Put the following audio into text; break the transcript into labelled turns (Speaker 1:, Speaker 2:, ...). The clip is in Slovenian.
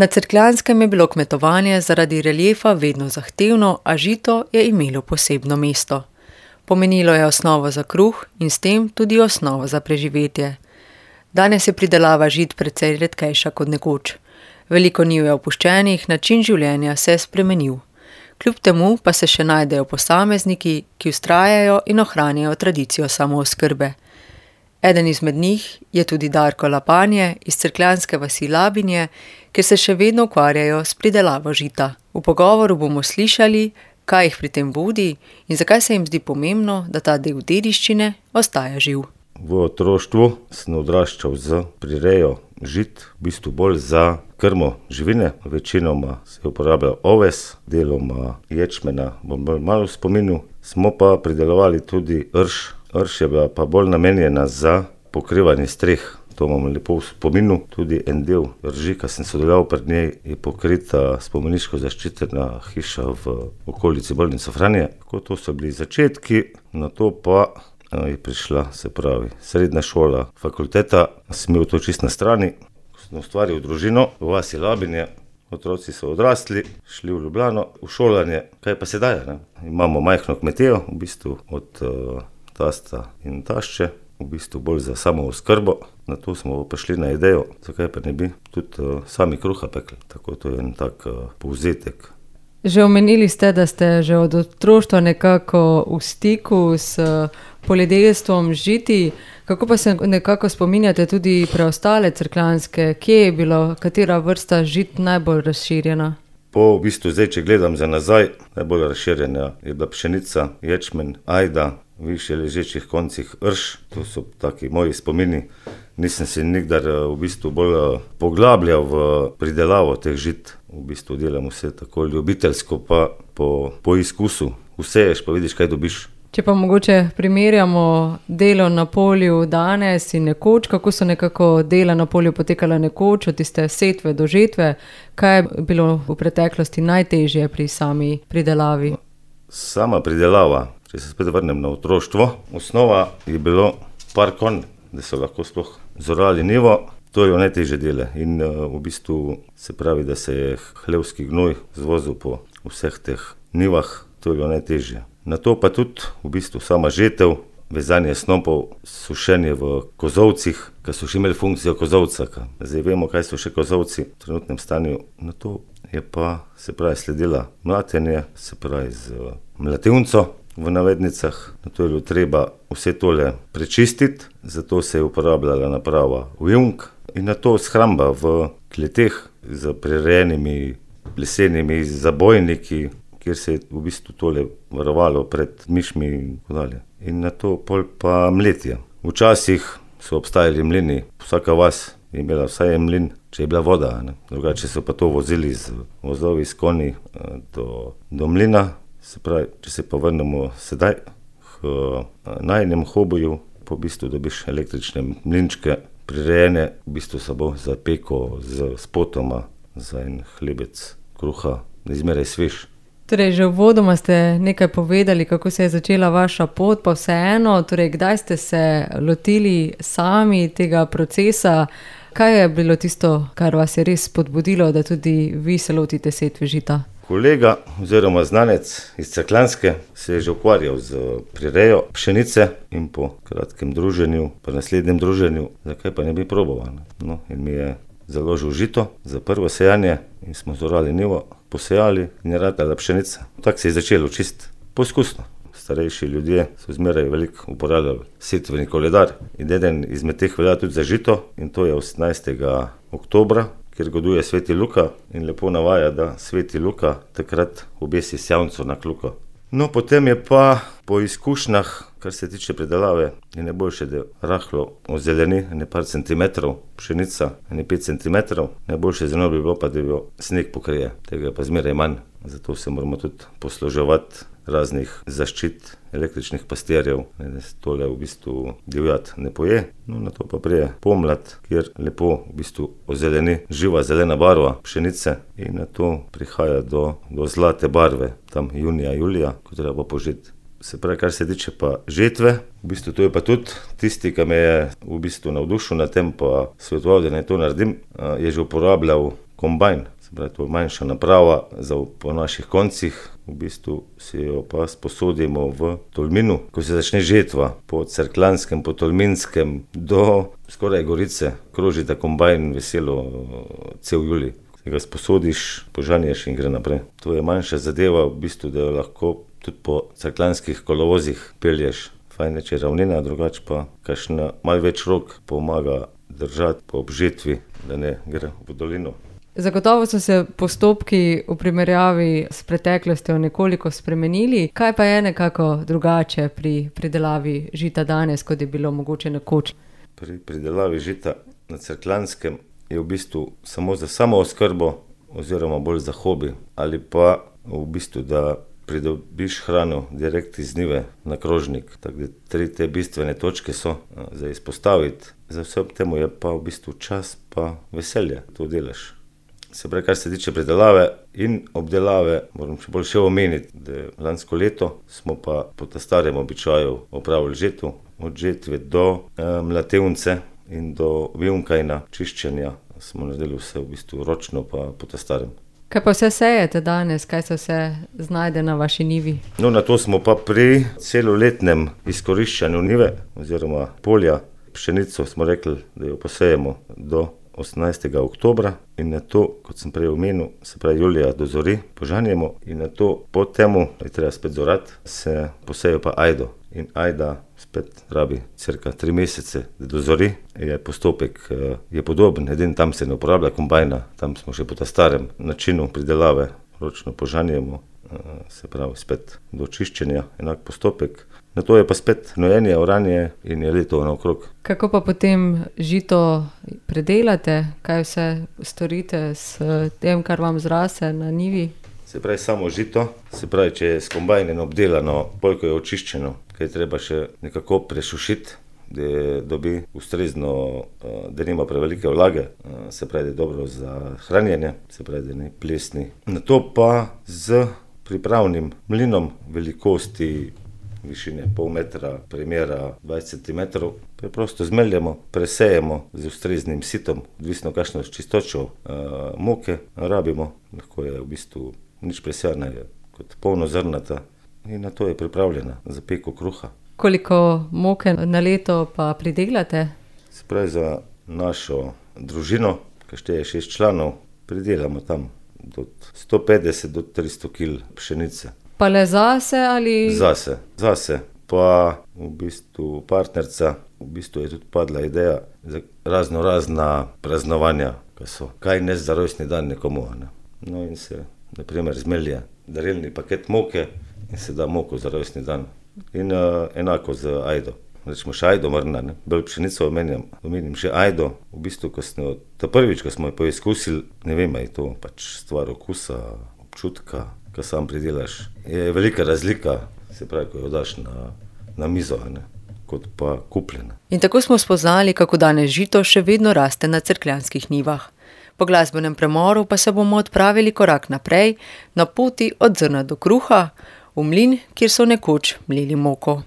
Speaker 1: Na Cerkljanskem je bilo kmetovanje zaradi reliefa vedno zahtevno, a žito je imelo posebno mesto. Pomenilo je osnovo za kruh in s tem tudi osnovo za preživetje. Danes je pridelava žit precej redkejša kot nekoč. Veliko njiv je opuščenih, način življenja se je spremenil. Kljub temu pa se še najdejo posamezniki, ki vztrajajo in ohranjajo tradicijo samooskrbe. Eden izmed njih je tudi Darko Lapanje iz cerkljanske vasi Labinje, kjer se še vedno ukvarjajo s pridelavo žita. V pogovoru bomo slišali, kaj jih pri tem vodi in zakaj se jim zdi pomembno, da ta del dediščine ostaja živ.
Speaker 2: V otroštvu sem odraščal z prirejo žit, v bistvu bolj za krmo živine. Večinoma se uporablja oves, deloma ječmena, bom bolj malo spominil. Smo pa pridelovali tudi rž. Rž je bila pa bolj namenjena za pokrivanje streh. To imam lepo v spominu. Tudi en del rži, ki sem sodeloval pred njej, je pokrita spomeniško zaščitena hiša v okolici bolnice Franje. Tako to so bili začetki, na to pa je prišla, se pravi, srednja šola, fakulteta. Sem imel to čisto na strani. Sem ustvaril družino v vasi Labinje. Otroci so odrasli, šli v Ljubljano, v šolanje. Kaj pa sedaj, ne? Imamo majhno kmetijo, v bistvu od tasta in tašče, v bistvu bolj za samooskrbo. Na to smo prišli na idejo, zakaj pa ne bi tudi sami kruha pekli. Tako to je en tak povzetek.
Speaker 1: Že omenili ste, da ste že od otroštva nekako v stiku s poljedelstvom žiti. Kako pa se nekako spominjate tudi preostale cerkljanske? Kje je bilo, katera vrsta žit najbolj razširjena?
Speaker 2: Po v bistvu zdaj, če gledam za nazaj, najbolj razširjena je bila pšenica, ječmen, ajda, v višje ležečih koncih rž. To so taki moji spomini. Nisem se nikdar v bistvu bolj poglabljal v pridelavo teh žit. V bistvu delam vse tako ljubiteljsko, pa po izkusu. Vseješ pa vidiš, kaj dobiš.
Speaker 1: Če pa mogoče primerjamo delo na polju danes in nekoč, kako so nekako dela na polju potekala nekoč, od tiste setve do žetve, kaj je bilo v preteklosti najtežje pri sami pridelavi?
Speaker 2: Sama pridelava, če se spet vrnem na otroštvo, osnova je bilo par konj, da so lahko sploh zorali njivo. To je najtežje dele in v bistvu se pravi, da se je hlevski gnoj zvozil po vseh teh njivah, to je bilo najtežje. Na to pa tudi v bistvu sama žetev, vezanje snopov, sušenje v kozovcih, ki so še imeli funkcijo kozovca. Zdaj vemo, kaj so še kozovci v trenutnem stanju. Na to je pa se pravi sledila mlatenje, se pravi z mlativnico v navednicah. Na to je bilo treba vse tole prečistiti, zato se je uporabljala naprava Vjunk. In na to shramba v kleteh z prirejenimi lesenimi zabojniki, kjer se je v bistvu tole varovalo pred mišmi in tako dalje. In na to pol pa mletje. Včasih so obstajali mlini, vsaka vas je imela vsaj en mlin, če je bila voda, ne? Drugače so pa to vozili z vozovi, s konji do mlina. Se pravi, če se pa vrnemo sedaj k najinem hobiju, po v bistvu dobiš električne mlinčke, prirejene, v bistvu se bo za peko z spotoma, za en hlebec kruha, izmeraj svež.
Speaker 1: Torej, že uvodoma ste nekaj povedali, kako se je začela vaša pot, pa vseeno, torej, kdaj ste se lotili sami tega procesa? Kaj je bilo tisto, kar vas je res spodbudilo, da tudi vi se lotite setve žita?
Speaker 2: Kolega oziroma znanec iz Cerkljanske se je že ukvarjal z prirejo pšenice in po kratkem druženju, po naslednjem druženju, zakaj pa ne bi proboval. No, in mi je založil žito za prvo sejanje in smo zorali njivo, posejali in je ratala pšenica. Tako se je začelo čisto poskusno. Starejši ljudje so zmeraj veliko uporabljali setveni koledar in eden izmed teh velja tudi za žito in to je 18. oktobra, kjer goduje Sveti Luka in lepo navaja, da Sveti Luka takrat obesi sjavnico na kljuko. No, potem je pa po izkušnjah, kar se tiče predelave, je najboljše, da rahlo ozeleni, ne par centimetrov, pšenica, ne 5 centimetrov. Najboljše zelo bi bilo pa, da jo sneg pokrije, tega je pa zmeraj manj. Zato se moramo tudi posluževati raznih zaščit, električnih pastirjev, da se tole v bistvu divjad ne poje. No, na to pa prije pomlad, kjer lepo v bistvu ozeleni živa zelena barva pšenice in na to prihaja do zlate barve, tam junija, julija, ko treba požeti. Se pravi, kar se tiče pa žetve, v bistvu to je pa tudi tisti, ki me je v bistvu navdušil na tem, pa svetoval, da naj to naredim, je že uporabljal kombajn, se pravi, to je manjša naprava po naših koncih, v bistvu si jo pa sposodimo v Tolminu, ko se začne žetva po Cerkljanskem, po Tolminskem do skoraj Gorice, kroži ta kombajn veselo cel julij. Ga sposodiš, požanješ in gre naprej. To je manjša zadeva, v bistvu, da jo lahko tudi po cerkljanskih kolovozih pelješ. Fajn je, če je ravnina, drugače pa kakšna malo več rok pomaga držati po obžetvi, da ne gre v dolino.
Speaker 1: Zagotovo so se postopki v primerjavi s preteklostjo nekoliko spremenili. Kaj pa je nekako drugače pri pridelavi žita danes, kot je bilo mogoče nekoč?
Speaker 2: Pri pridelavi žita na Cerkljanskem je v bistvu samo za samooskrbo oziroma bolj za hobi, ali pa v bistvu, da pridobiš hrano direkt iz njive na krožnik. Tako da 3 te bistvene točke so za izpostaviti. Za vse ob temu je pa v bistvu čas pa veselje, to delaš. Se pravi, kar se tiče pridelave in obdelave, moram še omeniti, da lansko leto smo pa po ta starem običaju opravili žetev, od žetve do mlatevnice in do vijunkajna, čiščenja. Smo naredili vse v bistvu ročno pa po ta starem.
Speaker 1: Kaj pa vse sejete danes, kaj se vse znajde na vaši njivi?
Speaker 2: No, na to smo pa pri celoletnem izkoriščanju njive oziroma polja. Pšenico smo rekli, da jo posejemo do 18. oktobra in na to, kot sem prej omenil, se pravi julija dozori, požanjemo in na to po temu, da je treba spet zorati, se posejo pa ajdo. In ajda spet rabi cirka 3 mesece, da dozori. Postopek je podoben, edino tam se ne uporablja kombajna, tam smo še po ta starem načinu pridelave, ročno požanjemo, se pravi spet do čiščenja, enak postopek. Na to je pa spet gnojenje, oranje in je leto naokrog.
Speaker 1: Kako pa potem žito predelate? Kaj vse storite s tem, kar vam zrase na njivi?
Speaker 2: Se pravi samo žito, se pravi, če je s kombajnem obdelano, koliko je očiščeno, kaj treba še nekako presušiti, da dobi ustrezno, da nima prevelike vlage, se pravi, da je dobro za hranjenje, se pravi, da ni plesni. Na to pa z pripravnim mlinom velikosti višine pol metra, premjera 20 cm, preprosto zmeljemo, presejemo z ustreznim sitom, odvisno kakšno čistočo moke rabimo, lahko je v bistvu nič presejana, je kot polnozrnata in na to je pripravljena za peko kruha.
Speaker 1: Koliko moke na leto pa pridelate?
Speaker 2: Se pravi, za našo družino, ki šteje 6 članov, pridelamo tam od 150 do 300 kg pšenice.
Speaker 1: Pa le zase ali?
Speaker 2: Zase. Pa v bistvu partnerca, v bistvu je tudi padla ideja za razna praznovanja, ki so kaj ne za rojstni dan nekomu. Ne? No in se, na primer, zmelje darilni paket moke in se da moko za rojstni dan. In enako z ajdo. Rečemo še ajdo mrna, ne? Bolj pšenico omenim še ajdo. V bistvu, prvič, ko smo jo poizkusili, ne vem, je to pač stvar okusa, občutka, ko sam pridelaš. Je velika razlika, se pravi, ko jo daš na mizo, ne? Kot pa kupljena.
Speaker 1: In tako smo spoznali, kako danes žito še vedno raste na cerkljanskih njivah. Po glasbenem premoru pa se bomo odpravili korak naprej, na poti od zrna do kruha, v mlin, kjer so nekoč mleli moko.